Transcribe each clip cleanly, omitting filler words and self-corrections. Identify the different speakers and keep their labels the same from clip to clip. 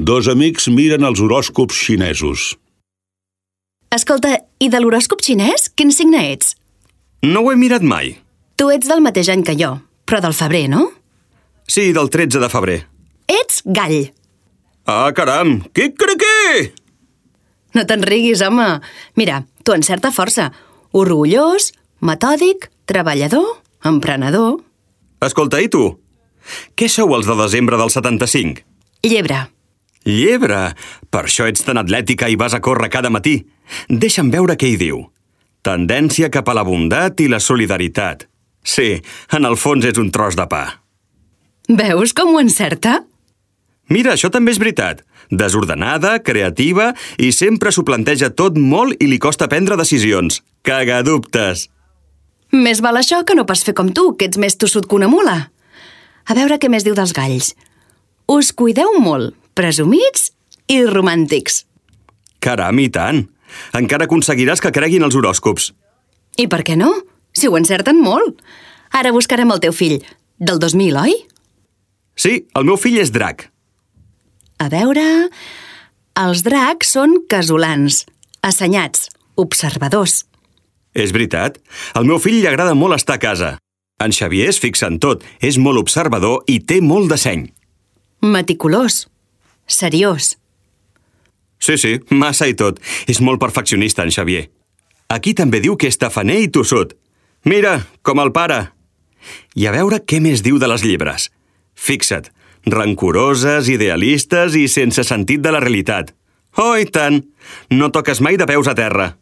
Speaker 1: Dos amics miren els horòscops xinesos.
Speaker 2: Escolta, i de l'horòscop xinès, quin signe ets?
Speaker 3: No ho he mirat mai.
Speaker 2: Tu ets del mateix any que jo, però del febrer, no?
Speaker 3: Sí, del 13 de febrer.
Speaker 2: Ets gall.
Speaker 3: Ah, caram! Quic-criqui!
Speaker 2: No te'n riguis, home. Mira, tu en certa força. Orgullós, metòdic, treballador, emprenedor.
Speaker 3: Escolta, i tu? Què sou els de desembre del 75?
Speaker 2: Llebre.
Speaker 3: Llebre! Per això ets tan atlètica i vas a córrer cada matí. Deixa'm veure què hi diu. Tendència cap a la bondat i la solidaritat. Sí, en el fons és un tros de pa.
Speaker 2: Veus com ho encerta?
Speaker 3: Mira, això també és veritat. Desordenada, creativa i sempre s'ho planteja tot molt i li costa prendre decisions. Cagadubtes!
Speaker 2: Més val això que no pas fer com tu, que ets més tossut que una mula. A veure què més diu dels galls. Us cuideu molt, presumits i romàntics.
Speaker 3: Caram, i tant! Encara aconseguiràs que creguin els horòscops.
Speaker 2: I per què no? Si ho encerten molt. Ara buscarem el teu fill, del 2000, oi?
Speaker 3: Sí, el meu fill és drac.
Speaker 2: A veure... Els dracs són casolans, assenyats, observadors.
Speaker 3: És veritat. Al meu fill li agrada molt estar a casa. En Xavier es fixa en tot, és molt observador i té molt de seny.
Speaker 2: Meticulós, seriós.
Speaker 3: Sí, massa i tot. És molt perfeccionista, en Xavier. Aquí també diu que és tafaner i tossut. Mira, com el pare. I a veure què més diu de les llebres. Fixa't, rancoroses, idealistes i sense sentit de la realitat. Oh, i tant! No toques mai de peus a terra.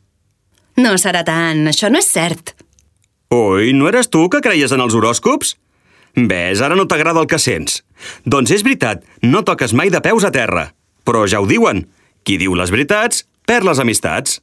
Speaker 2: No serà tant, això no és cert.
Speaker 3: Ui, no eres tu que creies en els horòscops? Ves, ara no t'agrada el que sents. Doncs és veritat, no toques mai de peus a terra. Però ja ho diuen. Qui diu les veritats, perd les amistats.